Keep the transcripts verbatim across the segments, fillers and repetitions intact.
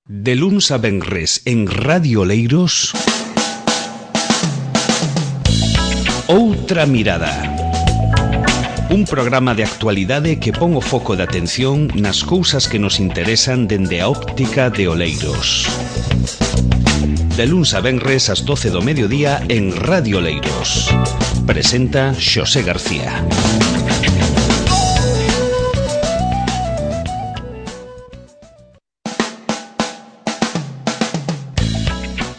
De luns a venres en Radio Oleiros, Outra Mirada. Un programa de actualidade que pon o foco de atención nas cousas que nos interesan dende a óptica de Oleiros. De luns a venres ás doce do mediodía en Radio Oleiros. Presenta Xosé García.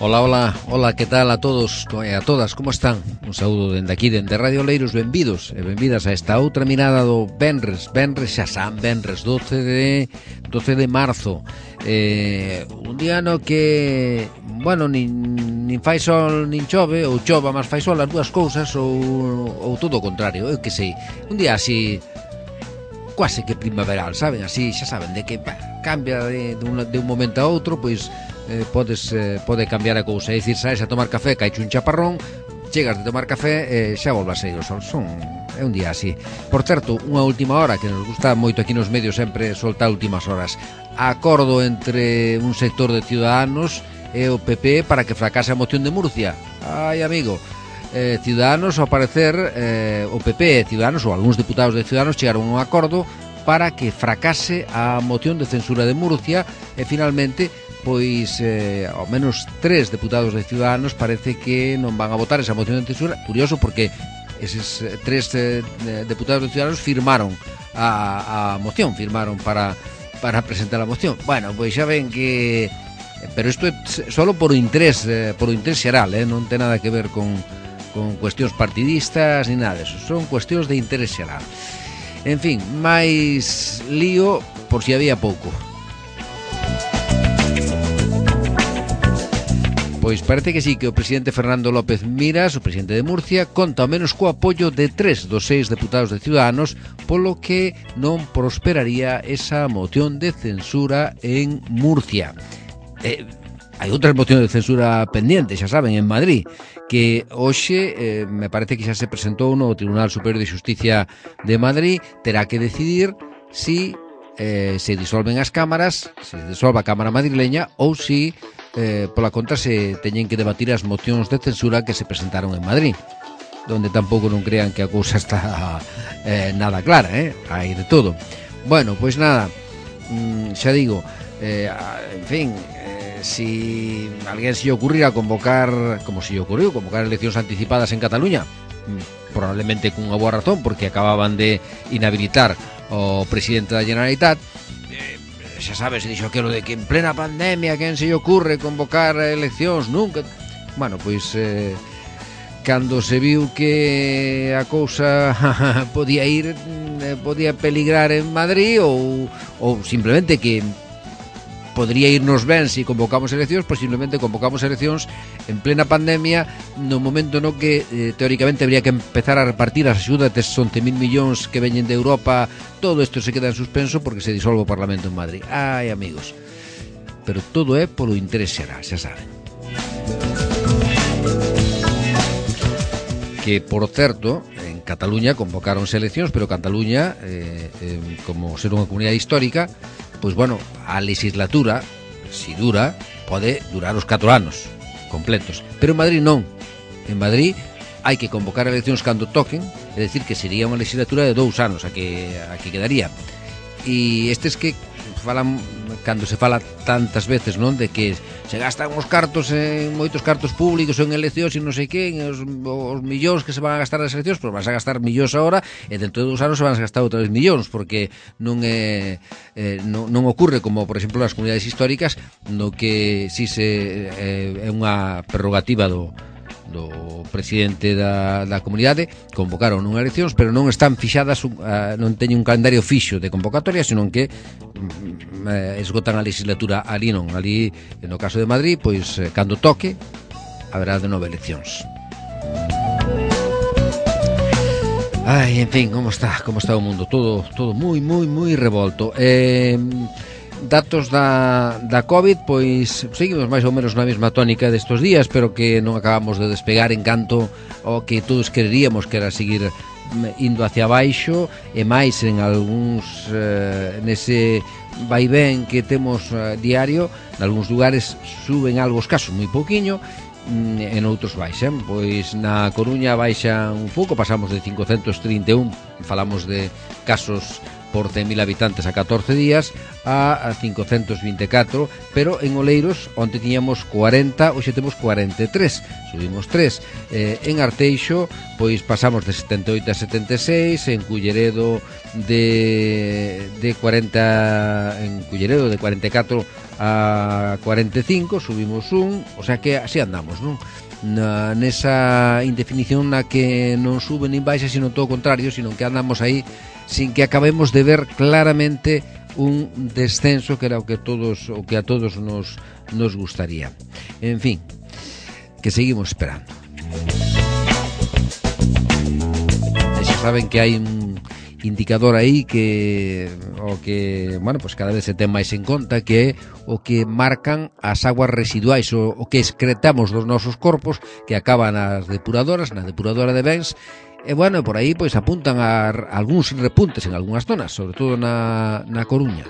Hola, hola, hola, que tal a todos e a todas, como están? Un saúdo dende aquí, dende Radio Oleiros, benvidos e benvidas a esta outra mirada do Venres, Venres xa san, Venres, doce de marzo. Eh, un día no que, bueno, nin, nin fai sol nin chove, ou chova, mas fai sol as dúas cousas, ou, ou todo o contrario, eu que sei. Un día así, quase que primaveral, saben? Así, xa saben, de que bah, cambia de, de, un, de un momento a outro, pois... Eh, podes, eh, pode cambiar a cousa. É dicir, saes a tomar café, caiche un chaparrón, chegas de tomar café e eh, xa volve a sair o sol. Son, é un día así. Por certo, unha última hora que nos gusta moito aquí nos medios sempre soltar últimas horas. Acordo entre un sector de Ciudadanos e o P P para que fracase a moción de Murcia. Ai, amigo, eh, Ciudadanos, ao parecer, eh, o P P e Ciudadanos, ou algúns deputados de Ciudadanos, chegaron a un acordo para que fracase a moción de censura de Murcia e finalmente pois eh, ao menos tres deputados de Ciudadanos parece que non van a votar esa moción de censura. Curioso porque eses tres eh, deputados de Ciudadanos firmaron a, a moción, firmaron para, para presentar a moción. Bueno, pois xa ven que... Pero isto é solo por interés, eh, por interés xeral, eh, non ten nada que ver con, con cuestións partidistas ni nada deso, son cuestións de interés xeral. En fin, máis lío por si había pouco. Pois parece que sí, que o presidente Fernando López Miras, o presidente de Murcia, conta ao menos co apoio de tres dos seis deputados de Ciudadanos, polo que non prosperaría esa moción de censura en Murcia. Eh, hai outras mocións de censura pendientes, xa saben, en Madrid, que hoxe eh, me parece que xa se presentou no Tribunal Superior de Xusticia de Madrid, terá que decidir si eh, se disolven as cámaras, se disolve a Cámara madrileña ou si eh, pola contra se teñen que debatir as mocións de censura que se presentaron en Madrid, donde tampouco non crean que a cousa está eh, nada clara, eh? Hai de todo. Bueno, pois nada, mm, xa digo, eh, en fin, eh, si alguén se lle ocurrira convocar, como se lle ocurriu, convocar eleccións anticipadas en Cataluña, mm, probablemente cunha boa razón, porque acababan de inhabilitar o presidente da Generalitat. eh, xa sabes, se dixo aquilo de que en plena pandemia quen se lle ocurre convocar eleccións nunca. Bueno, pois eh, cando se viu que a cousa podía ir eh, podía peligrar en Madrid ou, ou simplemente que podría irnos ben se convocamos eleccións, pois simplemente convocamos eleccións en plena pandemia, no momento no que eh, teóricamente habría que empezar a repartir as axudas destes once mil millóns que veñen de Europa. Todo isto se queda en suspenso porque se disolve o Parlamento en Madrid. Ai, amigos, pero todo é polo interés xeral, xa saben. Que, por certo, en Cataluña convocáronse eleccións, pero Cataluña, eh, eh, como ser unha comunidade histórica, pois, bueno, a legislatura, si dura, pode durar os catro anos completos. Pero en Madrid non. En Madrid hai que convocar eleccións cando toquen, é dicir, que sería unha legislatura de dous anos a que, a que quedaría. E estes que falan, cando se fala tantas veces, non, de que se gastan os cartos en moitos cartos públicos en eleccións e non sei que, os, os millóns que se van a gastar nas eleccións, pois vas a gastar millóns agora e dentro de dous anos se van a gastar outros millóns, porque non é eh, non, non ocurre como, por exemplo, nas comunidades históricas, no que si se eh, é unha prerrogativa do do presidente da, da comunidade, convocaron unha eleccións, pero non están fixadas, uh, non teñen un calendario fixo de convocatoria, senón que um, uh, esgotan a legislatura ali non, ali, no caso de Madrid, pois, uh, cando toque, haberá de nove eleccións. Ai, en fin, como está, como está o mundo, todo, todo moi, moi, moi revolto. Eh... Datos da, da COVID, pois seguimos máis ou menos na mesma tónica destos días, pero que non acabamos de despegar en canto ao que todos quereríamos, que era seguir indo hacia baixo, e máis en algúns eh, nese vaivén que temos eh, diario, en algúns lugares suben algo escaso, moi pouquiño, en outros baixan. Pois na Coruña baixan un pouco, pasamos de cincocentos trinta e un, falamos de casos por cen mil habitantes a catorce días a cincocentos vinte e catro, pero en Oleiros onte tiñamos cuarenta, hoxe temos cuarenta e tres, subimos tres. Eh, en Arteixo pois pasamos de setenta e oito a setenta e seis, en Culleredo de de cuarenta, en Culleredo de cuarenta e catro a cuarenta e cinco, subimos un, o sea que así andamos, non? Na, nesa indefinición na que non sube nin baixa, sino todo o contrario, sino que andamos aí sin que acabemos de ver claramente un descenso que era o que todos o que a todos nos nos gustaría. En fin, que seguimos esperando. E xa saben que hai un indicador aí que o que, bueno, pues cada vez se ten máis en conta, que é o que marcan as aguas residuais, o, o que excretamos dos nosos corpos, que acaban nas depuradoras, na depuradora de bens. E, bueno, por aí pois apuntan a, a algúns repuntes en algunhas zonas, sobre todo na, na Coruña.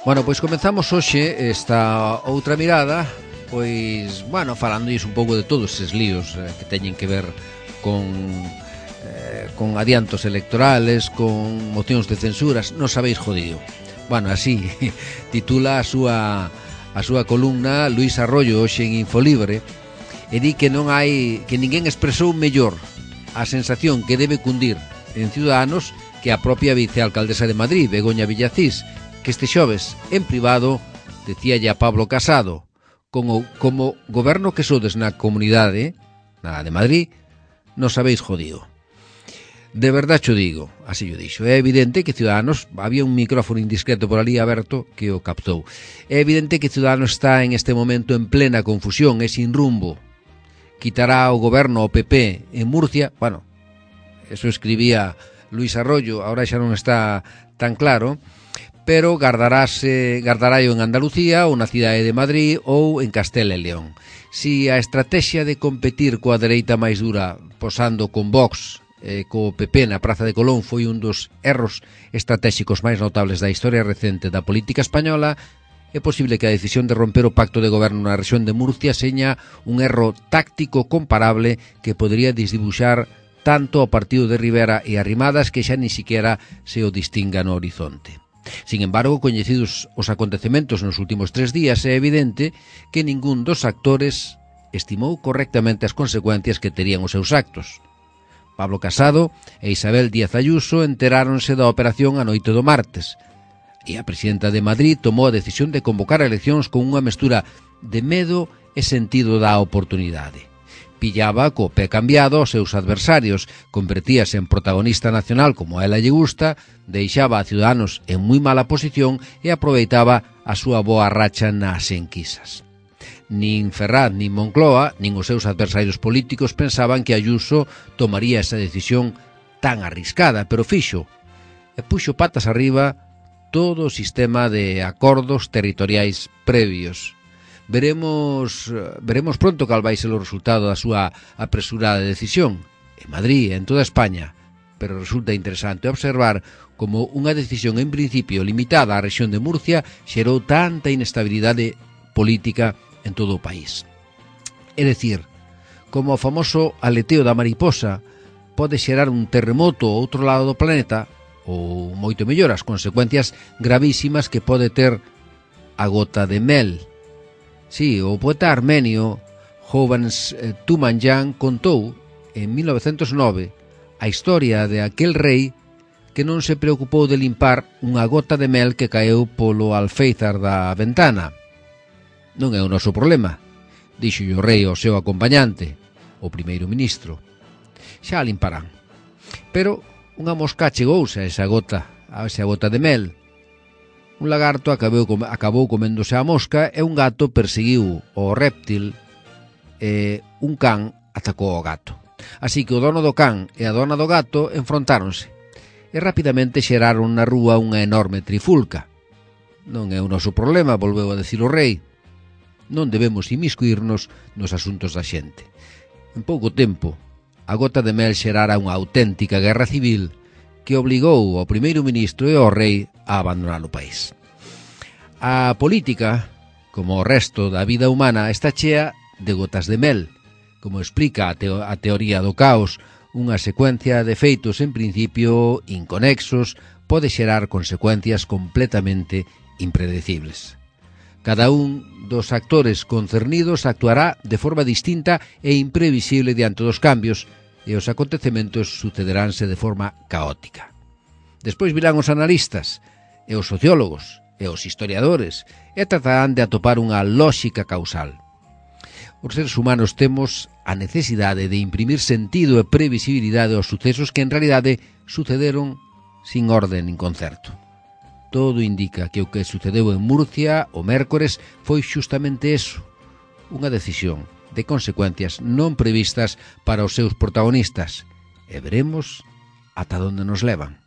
Bueno, pois comenzamos hoxe esta outra mirada, pois, bueno, falándois un pouco de todos eses líos eh, que teñen que ver con eh, con adiantos electorales, con mocións de censuras. Non sabéis jodido. Bueno, así titula a súa a súa columna Luís Arroyo hoxe en Infolibre, e di que non hai, que ninguén expresou mellor a sensación que debe cundir en Ciudadanos que a propia vicealcaldesa de Madrid, Begoña Villacís, que este xoves, en privado, decíalle a Pablo Casado: como, como goberno que sodes na comunidade, na de Madrid, non sabéis jodido. De verdade xo digo, así yo dixo. É evidente que Ciudadanos, había un micrófono indiscreto por ali aberto que o captou. É evidente que Ciudadanos está en este momento en plena confusión e sin rumbo. Quitará o goberno ao P P en Murcia, bueno, eso escribía Luís Arroyo, ahora xa non está tan claro, pero gardarase, gardaráio en Andalucía ou na cidade de Madrid ou en Castela e León. Si a estrategia de competir coa dereita máis dura, posando con Vox e co P P na Praza de Colón, foi un dos erros estratégicos máis notables da historia recente da política española, é posible que a decisión de romper o pacto de goberno na rexión de Murcia seña un erro táctico comparable que podería desdibuxar tanto ao partido de Rivera e Arrimadas que xa ni siquiera se o distinga no horizonte. Sin embargo, coñecidos os acontecementos nos últimos tres días, é evidente que ningún dos actores estimou correctamente as consecuencias que terían os seus actos. Pablo Casado e Isabel Díaz Ayuso enteráronse da operación a noite do martes, e a presidenta de Madrid tomou a decisión de convocar eleccións con unha mestura de medo e sentido da oportunidade. Pillaba co pé cambiado aos seus adversarios, convertíase en protagonista nacional como a ela lle gusta, deixaba a Ciudadanos en moi mala posición e aproveitaba a súa boa racha nas enquisas. Nin Ferraz, nin Moncloa, nin os seus adversarios políticos pensaban que Ayuso tomaría esa decisión tan arriscada, pero fixo, e puxo patas arriba todo o sistema de acordos territoriais previos. Veremos veremos pronto cal vai ser o resultado da súa apresurada decisión en Madrid e en toda España, pero resulta interesante observar como unha decisión en principio limitada á rexión de Murcia xerou tanta inestabilidade política en todo o país. É dicir, como o famoso aleteo da mariposa pode xerar un terremoto ao outro lado do planeta, ou moito mellor as consecuencias gravísimas que pode ter a gota de mel. Sí, o poeta armenio Hovhannes Tumanyan contou en mil novecentos nove a historia de aquel rei que non se preocupou de limpar unha gota de mel que caeu polo alféizar da ventana. Non é o noso problema, dixo o rei ao seu acompañante, o primeiro ministro. Xa a limparán. Pero unha mosca chegouse a esa gota, a esa gota de mel. Un lagarto acabou, acabou coméndose a mosca e un gato perseguiu o réptil e un can atacou ao gato. Así que o dono do can e a dona do gato enfrontáronse e rapidamente xeraron na rúa unha enorme trifulca. Non é o noso problema, volveu a decir o rei. Non debemos inmiscuirnos nos asuntos da xente. En pouco tempo, a gota de mel xerara unha auténtica guerra civil que obligou ao primeiro ministro e ao rei a abandonar o país. A política, como o resto da vida humana, está chea de gotas de mel, como explica a, teo a teoría do caos. Unha secuencia de feitos en principio inconexos pode xerar consecuencias completamente impredecibles. Cada un dos actores concernidos actuará de forma distinta e imprevisible diante dos cambios, e os acontecementos sucederánse de forma caótica. Despois virán os analistas, e os sociólogos, e os historiadores, e tratarán de atopar unha lóxica causal. Os seres humanos temos a necesidade de imprimir sentido e previsibilidade aos sucesos que en realidade sucederon sin orden nin concerto. Todo indica que o que sucedeu en Murcia o mércores foi xustamente eso, unha decisión de consecuencias non previstas para os seus protagonistas, e veremos ata onde nos levan.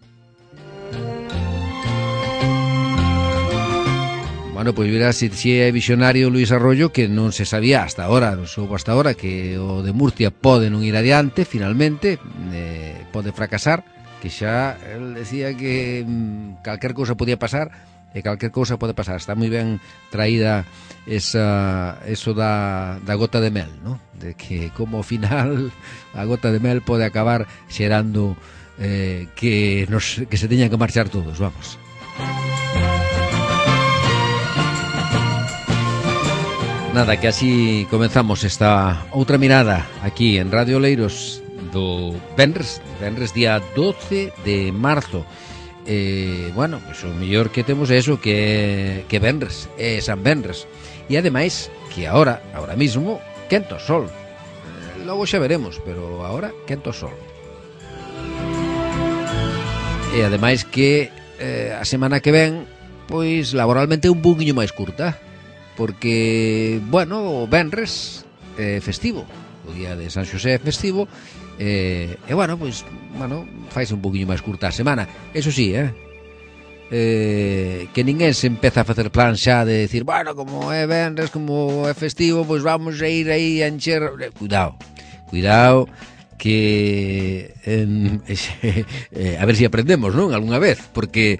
Bueno, pois verá se si é visionario Luis Arroyo, que non se sabía hasta ahora, non soubo hasta ahora, que o de Murcia pode non ir adiante, finalmente, eh, pode fracasar, que xa el decía que mm, calquer cousa podía pasar, e calquer cousa pode pasar. Está moi ben traída esa, eso da, da gota de mel, ¿no? De que como ao final a gota de mel pode acabar xerando eh, que, nos, que se teñan que marchar todos, vamos. Nada, que así comenzamos esta outra mirada aquí en Radio Oleiros do Venres, Venres día doce de marzo. Eh, bueno, pues o mellor que temos é eso, que, que Venres, é San Venres. E ademais, que ahora, ahora mismo, quento sol. Eh, logo xa veremos, pero ahora quento sol. E ademais que eh, a semana que ven, pois laboralmente é un pouquiño máis curta, porque, bueno, o Venres é festivo, o día de San Xosé é festivo. E, e bueno, pois, bueno, faise un poquinho máis curta a semana. Eso sí, eh? eh que ninguén se empeza a facer plan xa de decir, bueno, como é venres, como é festivo, pois vamos a ir aí a encher. Cuidado, cuidado, que en, eh, a ver se si aprendemos, non? Algúna vez, porque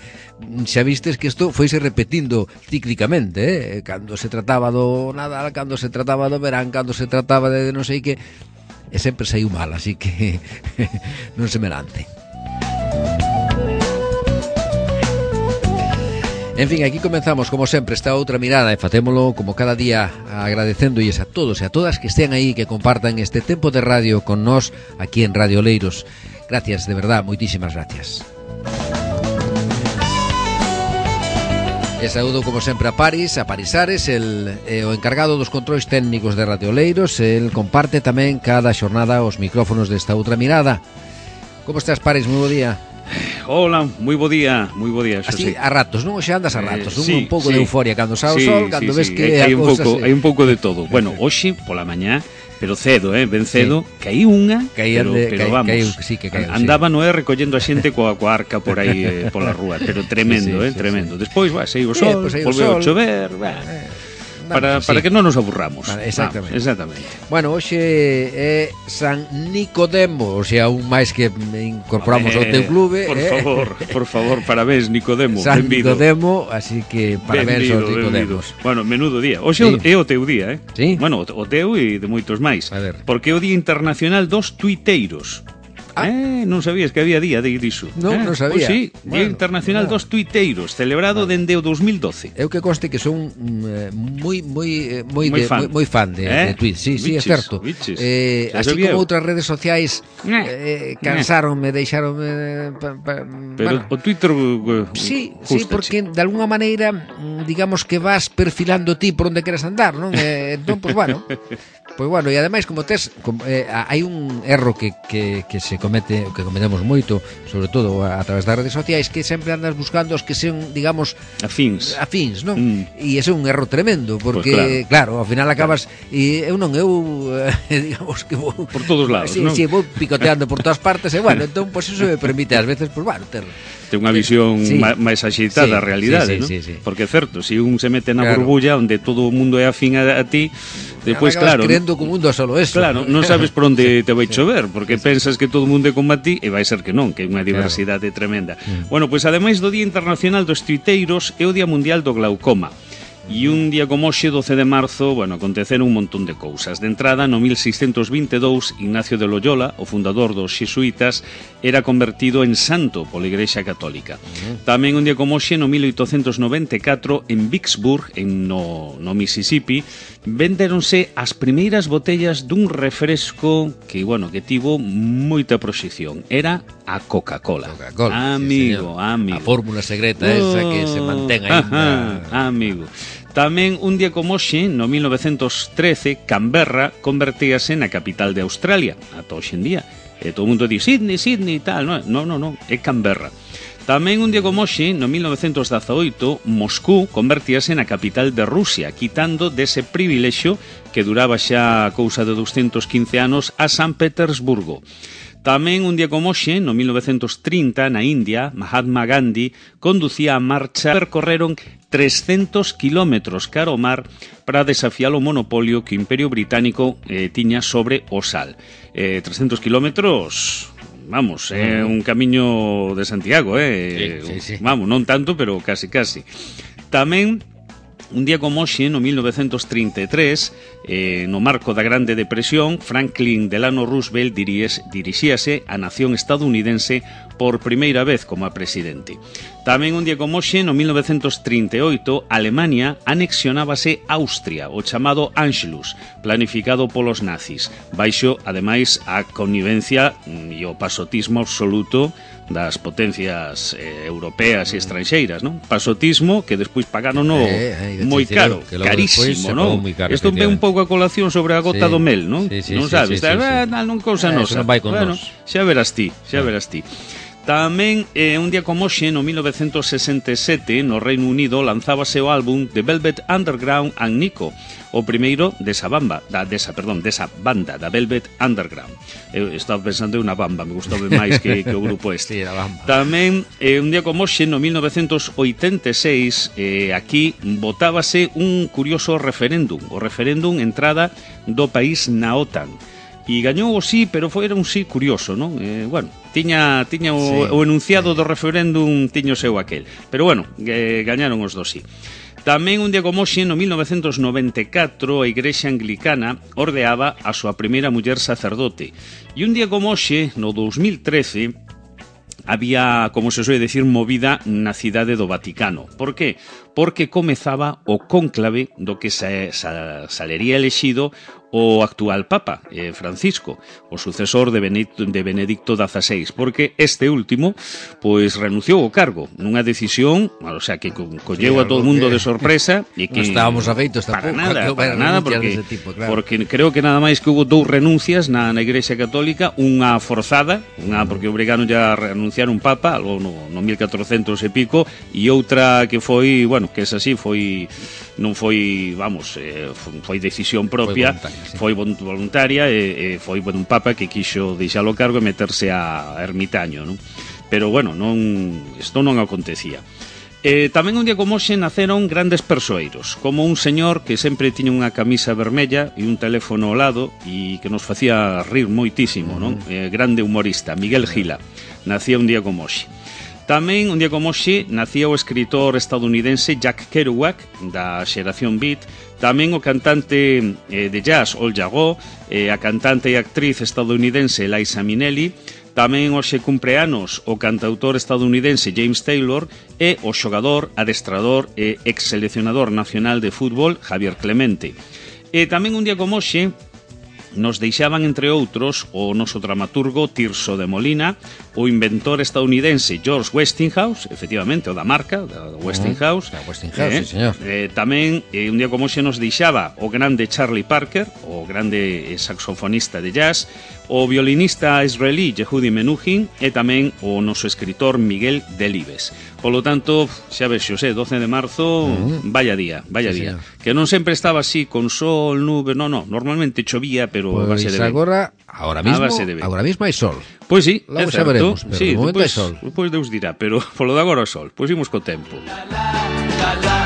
xa vistes que isto foise repetindo cíclicamente, eh? Cando se trataba do Nadal, cando se trataba do verán, cando se trataba de non sei que, e sempre saiu mal, así que non se me lance. En fin, aquí comenzamos, como sempre, esta outra mirada, e facémolo como cada día, agradecéndolles a todos e a todas que estén aí, que compartan este tempo de radio con nós aquí en Radio Oleiros. Gracias, de verdad, moitísimas gracias. E saúdo, como sempre, a Paris, a Parisares, el, eh, o encargado dos controis técnicos de Radio Oleiros. El comparte tamén cada xornada os micrófonos desta outra mirada. Como estás, Paris? Moi bo día. Hola, moi bo día, moi bo día. Así, a ratos, non? Xa andas a ratos, eh, sí, un pouco sí, de euforia cando xa o sí, sol, cando sí, ves sí. que hai, a un cousa pouco, se... hai un pouco de todo. Bueno, hoxe pola mañá, pero cedo, eh, ben cedo, sí. Caí unha, Caían pero, de, pero caí, vamos, caí, sí, que caí, andaba sí. no é recollendo a xente coa, coa arca por aí eh, pola rúa, pero tremendo, sí, sí, eh, sí, tremendo. Sí. Despois, va, saiu o sol, eh, pues volveu a sol. chover, va. Eh. Para, Vamos, para sí. que non nos aburramos. Vale, exactamente. Vamos, exactamente. Bueno, hoxe é San Nicodemo, o sea, un máis que incorporamos ao teu clube. Por eh? favor, por favor, parabéns, Nicodemo. San benvido. Nicodemo, así que parabéns aos Nicodemos. Bueno, menudo día. Hoxe sí. É o teu día, eh? Sí. Bueno, o teu e de moitos máis. A ver. Porque é o Día Internacional dos Tuiteiros. Ah. Eh, non sabías que había día de iso. Non, eh? non sabía. Pois sí, Día bueno, Internacional bueno. dos Tuiteiros, celebrado bueno. dende o dos mil doce. Eu que conste que son eh, moi moi moi moi de, fan, moi, moi fan de, eh? de Twitter. Sí, biches, sí, é certo. Eh, así como outras redes sociais eh, cansaronme, deixaronme pa, pa, pero bueno. o Twitter uh, Sí, sí, porque de alguna maneira digamos que vas perfilando ti por onde queres andar, non? Eh, entón, pois pues, bueno, pois pues, bueno, e ademais como tes eh, hai un erro que, que, que se comete, que cometemos moito, sobre todo a, a través das redes sociais, que sempre andas buscando os que sean, digamos, afins, afins, non? Mm. E ese é un erro tremendo, porque pues claro. claro, ao final acabas e eu non eu eh, digamos que vou por todos lados, sí, non? Sí, vou picoteando por todas partes e bueno, entón pois pues, eso me permite ás veces, pois pues, bueno, ter ten unha visión sí. máis axeitada sí, da realidade, sí, sí, non? sí, sí. Porque é certo, se si un se mete na claro. burbulla onde todo o mundo é afín a, a ti, Despois, claro, crendo que o mundo é solo eso. Claro, non sabes por onde te vai chover, porque pensas que todo o mundo é como a ti e vai ser que non, que é unha diversidade claro. tremenda. Mm. Bueno, pois ademais do Día Internacional dos Tuiteiros é o Día Mundial do Glaucoma. E un día como hoxe, doce de marzo, bueno, aconteceron un montón de cousas. De entrada, no mil seiscentos vinte e dous, Ignacio de Loyola, o fundador dos xesuítas, era convertido en santo pola Igrexa Católica. Uh-huh. Tamén un día como hoxe, no mil oitocentos noventa e catro, en Vicksburg, en no, no Mississippi, vendéronse as primeiras botellas dun refresco que, bueno, que tivo moita proxección. Era a Coca-Cola. Coca-Cola, amigo, sí, amigo. A fórmula secreta esa que se mantén aí. Amigo. Tamén un día como hoxe, no mil novecentos trece, Canberra convertíase na capital de Australia, ata hoxe en día. E todo o mundo di Sydney, Sydney e tal, non, non, non, é Canberra. Tamén un día como hoxe, no mil novecentos dezaoito, Moscú convertíase na capital de Rusia, quitando dese privilexio que duraba xa a cousa de doscientos quince anos a San Petersburgo. Tamén un día como hoxe, no mil novecentos trinta, na India, Mahatma Gandhi conducía a marcha, percorreron trescentos kilómetros cara ao mar para desafiar o monopolio que o Imperio Británico eh, tiña sobre o sal. Eh, trescentos kilómetros, vamos, é eh, un camiño de Santiago, eh? Sí, sí, sí. Vamos, non tanto, pero casi, casi. Tamén un día como hoxe, no mil novecentos trinta e tres, eh, no marco da Grande Depresión, Franklin Delano Roosevelt diríes, dirixíase á nación estadounidense por primeira vez como a presidente. Tamén un día como hoxe, no mil novecentos trinta e oito, Alemania anexionábase Austria, o chamado Anschluss, planificado polos nazis, baixo, ademais, a connivencia e o pasotismo absoluto das potencias eh, europeas e estranxeiras, non? Pasotismo que despois pagaron no eh, eh, moi caro, que carísimo, non? Isto ve un pouco a colación sobre a gota sí, do mel, non? Sí, sí, non sabes, sí, sí, sí, sí. Ah, non cousa eh, nosa. Non vai con bueno, nos. Xa verás ti, xa verás ti. Tamén, eh, un día como hoxe, no mil novecentos sesenta e sete, no Reino Unido, lanzábase o álbum The Velvet Underground and Nico, o primeiro desa bamba, da, desa, perdón, desa banda, da Velvet Underground. Eu estaba pensando en unha bamba, me gustaba máis que, que o grupo este. Sí, bamba. Tamén, eh, un día como hoxe, no mil novecentos oitenta e seis, eh, aquí votábase un curioso referéndum, o referéndum entrada do país na OTAN. E gañou o sí, pero foi era un sí curioso, non? Eh, bueno, tiña, tiña o, sí, o enunciado sí. do referéndum tiño seu aquel. Pero bueno, eh, gañaron os do sí. Tamén un día como hoxe, no mil novecentos noventa e catro, a Igrexa Anglicana ordeaba a súa primeira muller sacerdote. E un día como hoxe, no dos mil trece, había, como se suele decir, movida na cidade do Vaticano. Por qué? Porque comezaba o cónclave do que sa, sa, salería elexido o actual Papa, eh, Francisco, o sucesor de Benedicto, de Benedicto dieciséis, porque este último pois renunciou ao cargo nunha decisión, o sea, que co, colleu sí, a todo o mundo que... de sorpresa e que no estábamos afeitos para tampouco, nada, para nada porque, tipo, claro. porque creo que nada máis que hubo dous renuncias na, na Igrexa Católica, unha forzada, unha porque obrigaron ya a renunciar un Papa, algo no, no mil catrocentos e pico, e outra que foi, bueno, que es así, foi non foi, vamos, eh, foi decisión propia, foi voluntaria, sí. foi voluntaria e, e foi bueno, un Papa que quixo deixar o cargo e meterse a ermitaño, non? Pero bueno, non isto non acontecía. Eh, tamén un día como hoxe naceron grandes persoeiros, como un señor que sempre tiña unha camisa vermella e un teléfono ao lado e que nos facía rir moitísimo, non? Eh, grande humorista, Miguel Gila, nacía un día como hoxe. Tamén, un día como hoxe, nacía o escritor estadounidense Jack Kerouac, da xeración Beat, tamén o cantante eh, de jazz Al Jarreau, eh, a cantante e actriz estadounidense Liza Minnelli, tamén hoxe cumpleanos o cantautor estadounidense James Taylor e o xogador, adestrador e ex-seleccionador nacional de fútbol Javier Clemente. E tamén un día como hoxe, nos deixaban, entre outros, o noso dramaturgo Tirso de Molina, o inventor estadounidense George Westinghouse, efectivamente, o da marca, da Westinghouse. Uh, da Westinghouse, eh, sí, señor. Eh, tamén, eh, un día como xe nos deixaba o grande Charlie Parker, o grande saxofonista de jazz, o violinista israelí Yehudi Menuhin e tamén o noso escritor Miguel Delibes. Polo tanto, xa ves, Xosé, doce de marzo, uh-huh. vaya día, vaya sí, día. Señor. Que non sempre estaba así, con sol, nube, no, no, normalmente chovía, pero pues a base de vento. Agora, agora mismo, agora mismo hai sol. Pois sí, logo é certo. Veremos, pero sí, de momento hai pues, sol. Pois Deus dirá, pero polo de agora o sol. Pois imos co tempo. La, la, la, la.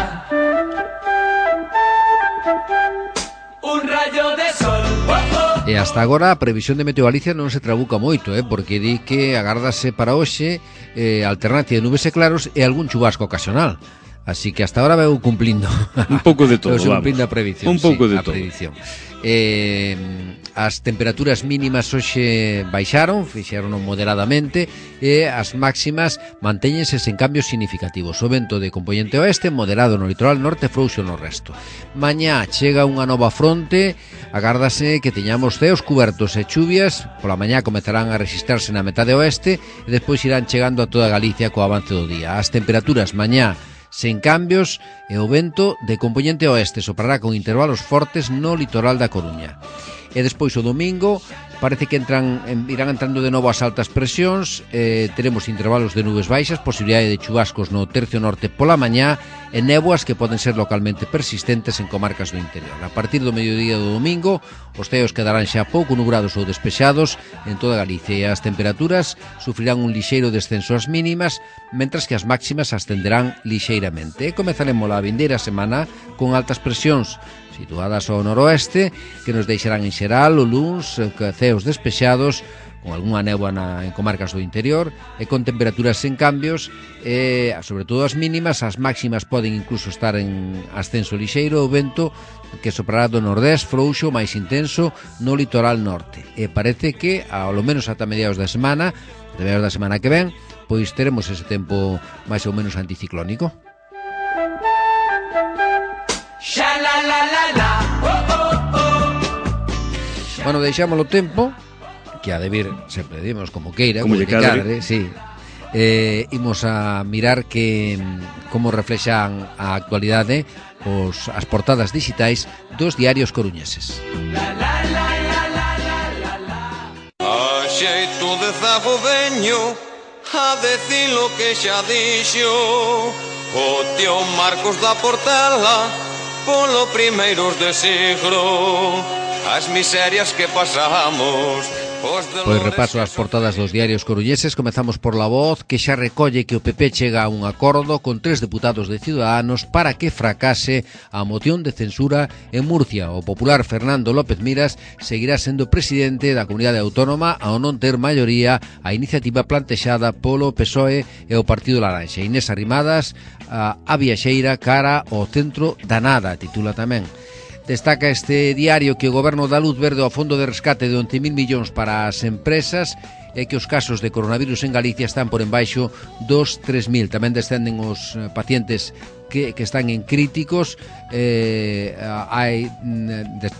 un rayo de sol. Oh, oh. E hasta agora a previsión de Meteo Galicia non se trabuca moito, eh, porque di que agárdase para hoxe eh, alternancia de nubes e claros e algún chubasco ocasional. Así que hasta ahora veu cumplindo un pouco de todo, vamos. Cumplindo a previsión, un pouco sí, de a todo. previsión. Eh, as temperaturas mínimas hoxe baixaron, fixeron moderadamente, e as máximas mantéñense sen cambios significativos. O vento de componente oeste moderado no litoral norte, frouxo no resto. Mañá chega unha nova fronte, agárdase que teñamos ceos cubertos e chuvias, pola mañá comezarán a registrarse na metade oeste e despois irán chegando a toda Galicia co avance do día. As temperaturas mañá sen cambios e o vento de componente oeste soprará con intervalos fortes no litoral da Coruña. E despois o domingo parece que entran, irán entrando de novo as altas presións, eh, teremos intervalos de nubes baixas, posibilidade de chubascos no tercio norte pola mañá e néboas que poden ser localmente persistentes en comarcas do interior. A partir do mediodía do domingo, os ceos quedarán xa pouco nubrados ou despexados en toda Galicia e as temperaturas sufrirán un lixeiro descenso ás mínimas, mentras que as máximas ascenderán lixeiramente. E comezaremos a vindeira semana con altas presións situadas ao noroeste, que nos deixarán en xeral o luns ceos despexados, con algunha néboa na, en comarcas do interior, e con temperaturas sen cambios, e, sobre todo as mínimas, as máximas poden incluso estar en ascenso lixeiro, o vento que soprará do nordés frouxo máis intenso no litoral norte. E parece que, ao menos ata mediados da semana, de mediados da semana que ven, pois teremos ese tempo máis ou menos anticiclónico. Bueno, deixámoslo tempo, que ha de vir, sempre dimos como queira, como, como lle cadre, sí. Eh, imos a mirar que como reflexan a actualidade os, as portadas digitais dos diarios coruñeses. A xeito de zago veño a decir lo que xa dixo o tío Marcos da Portela polo primeiros de siglo. As miserias que pasamos. Pois repaso as portadas dos diarios coruñeses. Comezamos por La Voz, que xa recolle que o P P chega a un acordo con tres deputados de Ciudadanos para que fracase a moción de censura en Murcia. O popular Fernando López Miras seguirá sendo presidente da comunidade autónoma ao non ter maioría a iniciativa plantexada polo P S O E e o Partido Laranxa. Inés Arrimadas, a, a viaxeira cara ao centro da nada, titula tamén. Destaca este diario que o goberno dá luz verde ao fondo de rescate de once mil millóns para as empresas e que os casos de coronavirus en Galicia están por embaixo dos tres mil. Tamén descenden os pacientes que, que están en críticos, eh, hai,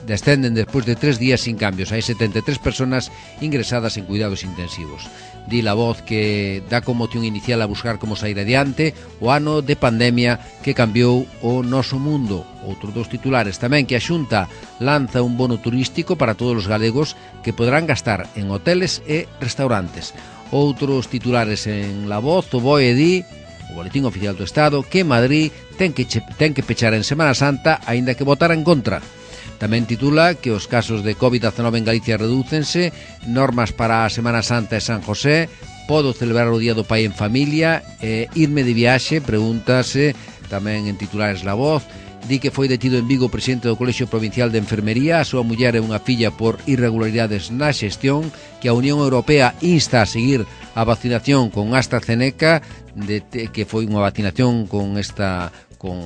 descenden despois de tres días sin cambios. Hai setenta e tres personas ingresadas en cuidados intensivos. Di La Voz que dá como moción inicial a buscar como sair adiante o ano de pandemia que cambiou o noso mundo. Outros dos titulares tamén, que a Xunta lanza un bono turístico para todos os galegos que poderán gastar en hoteles e restaurantes. Outros titulares en La Voz, o B O E di, o Boletín Oficial do Estado, que Madrid ten que, ten que pechar en Semana Santa aínda que votara en contra. Tamén titula que os casos de covid diecinueve en Galicia redúcense, normas para a Semana Santa e San José, podo celebrar o Día do Pai en familia, e irme de viaxe, pregúntase tamén en titulares La Voz. Di que foi detido en Vigo o presidente do Colexio Provincial de Enfermería, a súa muller e unha filla por irregularidades na xestión, que a Unión Europea insta a seguir a vacinación con AstraZeneca, de, que foi unha vacinación con esta con,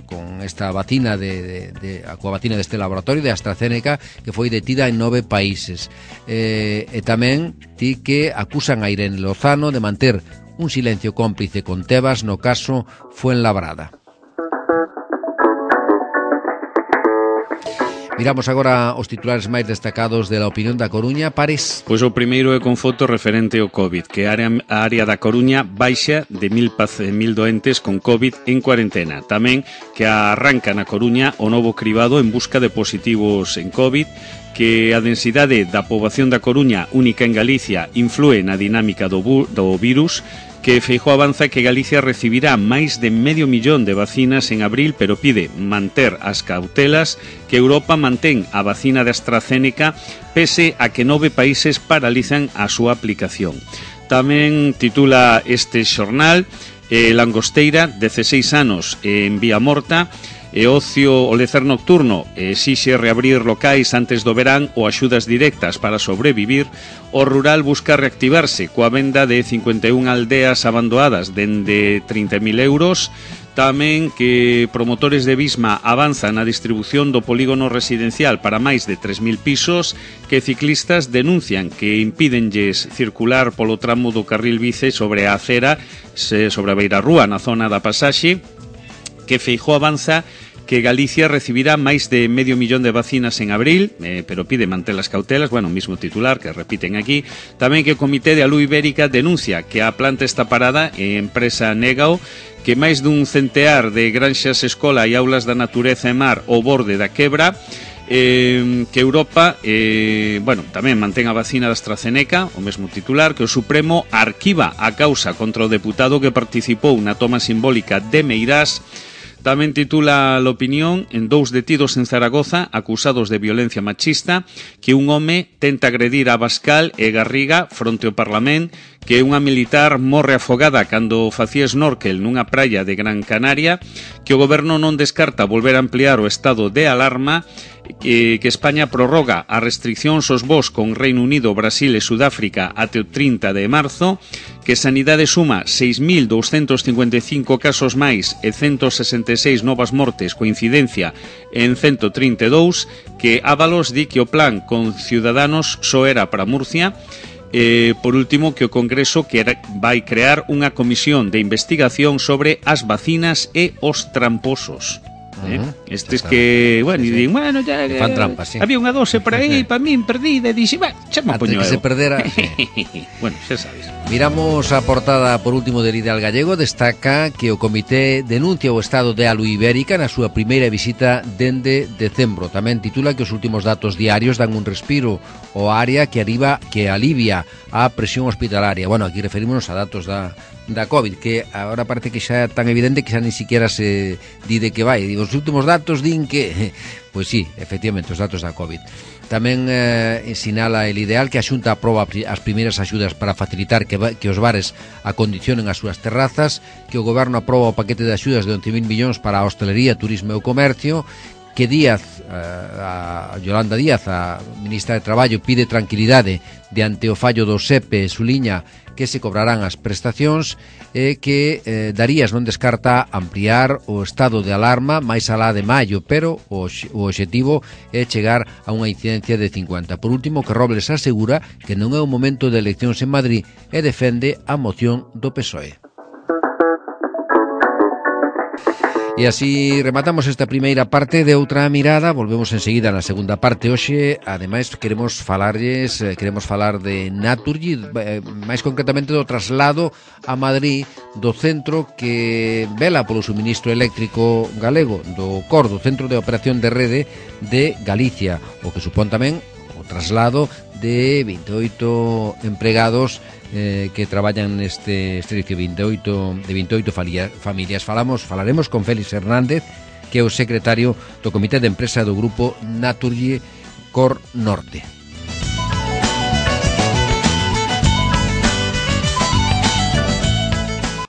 con esta vacina de, de, de, coa vacina deste laboratorio de AstraZeneca, que foi detida en nove países. Eh, e tamén di que acusan a Irene Lozano de manter un silencio cómplice con Tebas no caso Fuenlabrada. Miramos agora os titulares máis destacados de la Opinión da Coruña. Pares. Pois o primeiro é con foto referente ao COVID, que a área, a área da Coruña baixa de mil, mil doentes con COVID en cuarentena. Tamén que arranca na Coruña o novo cribado en busca de positivos en COVID, que a densidade da poboación da Coruña, única en Galicia, influe na dinámica do, do virus, que Feijóo avanza que Galicia recibirá máis de medio millón de vacinas en abril, pero pide manter as cautelas, que Europa mantén a vacina de AstraZeneca pese a que nove países paralizan a súa aplicación. Tamén titula este xornal eh, Langosteira, dezaseis anos en vía morta, E ocio, o lecer nocturno exixe reabrir locais antes do verán ou axudas directas para sobrevivir. O rural busca reactivarse coa venda de cincuenta e unha aldeas abandonadas dende trinta mil euros. Tamén que promotores de Visma avanzan na distribución do polígono residencial para máis de tres mil pisos, que ciclistas denuncian que impídenlles circular polo tramo do carril bici sobre a acera, sobre a beirarrúa na zona da pasaxe, que Feijóo avanza que Galicia recibirá máis de medio millón de vacinas en abril, eh, pero pide manter as cautelas, bueno, mismo titular que repiten aquí. Tamén que o Comité de Alú Ibérica denuncia que a planta está parada e a empresa négao, que máis dun centear de granxas escola e aulas da natureza e mar ao borde da quebra, eh, que Europa eh, bueno, tamén mantén a vacina da AstraZeneca, o mesmo titular, que o Supremo arquiva a causa contra o deputado que participou na toma simbólica de Meirás. Tamén titula l'opinión en dous detidos en Zaragoza acusados de violencia machista, que un home tenta agredir a Abascal e Garriga fronte ao Parlamento, que unha militar morre afogada cando facía snorkel nunha praia de Gran Canaria, que o goberno non descarta volver a ampliar o estado de alarma, que, que España prorroga as restriccións aos voos con Reino Unido, Brasil e Sudáfrica até o trinta de marzo, que Sanidade suma seis mil douscentos cincuenta e cinco casos máis e ciento sesenta e seis novas mortes, coincidencia en ciento trinta e dous, que Ábalos di que o plan con Ciudadanos só era para Murcia. Eh, por último, que o Congreso que vai crear unha comisión de investigación sobre as vacinas e os tramposos. Eh? Uh-huh. Estes que, bueno, sí, sí. Din, bueno, ya, que fan trampas, sí. Había unha dose por aí, para min perdida, e dixi, bueno, xa me poño que eu. se perdera. Sí. Bueno, xa sabes. Miramos a portada por último del Ideal Gallego. Destaca que o Comité denuncia o estado de Alú Ibérica na súa primeira visita dende decembro. Tamén titula que os últimos datos diarios dan un respiro ao área que arriba que alivia a presión hospitalaria. Bueno, aquí referímonos a datos da da COVID, que agora parece que xa é tan evidente que xa ni siquiera se di de que vai. Digo, os últimos datos din que... Pois sí, efectivamente, os datos da COVID. Tamén eh, sinala el Ideal que a Xunta aproba as primeiras axudas para facilitar que, que os bares acondicionen as súas terrazas, que o Goberno aproba o paquete de axudas de once mil millóns para a hostelería, turismo e o comercio, que Díaz, a Yolanda Díaz, a ministra de Traballo, pide tranquilidade diante o fallo do S E P e suliña que se cobrarán as prestacións, e que eh, Darías non descarta ampliar o estado de alarma máis alá de maio, pero o, o obxectivo é chegar a unha incidencia de cincuenta. Por último, que Robles asegura que non é o momento de eleccións en Madrid e defende a moción do P S O E. E así rematamos esta primeira parte de Outra Mirada. Volvemos enseguida na segunda parte. Hoxe, ademais, queremos falarlles, queremos falar de Naturgy, máis concretamente do traslado a Madrid do centro que vela polo suministro eléctrico galego, do C O R, do Centro de Operación de Rede de Galicia, o que supón tamén o traslado de vinte e oito empregados eh, que traballan neste servicio, vinte e oito, de vinte e oito familias. Falamos, falaremos con Félix Hernández, que é o secretario do Comité de Empresa do Grupo Naturgy C O R Norte.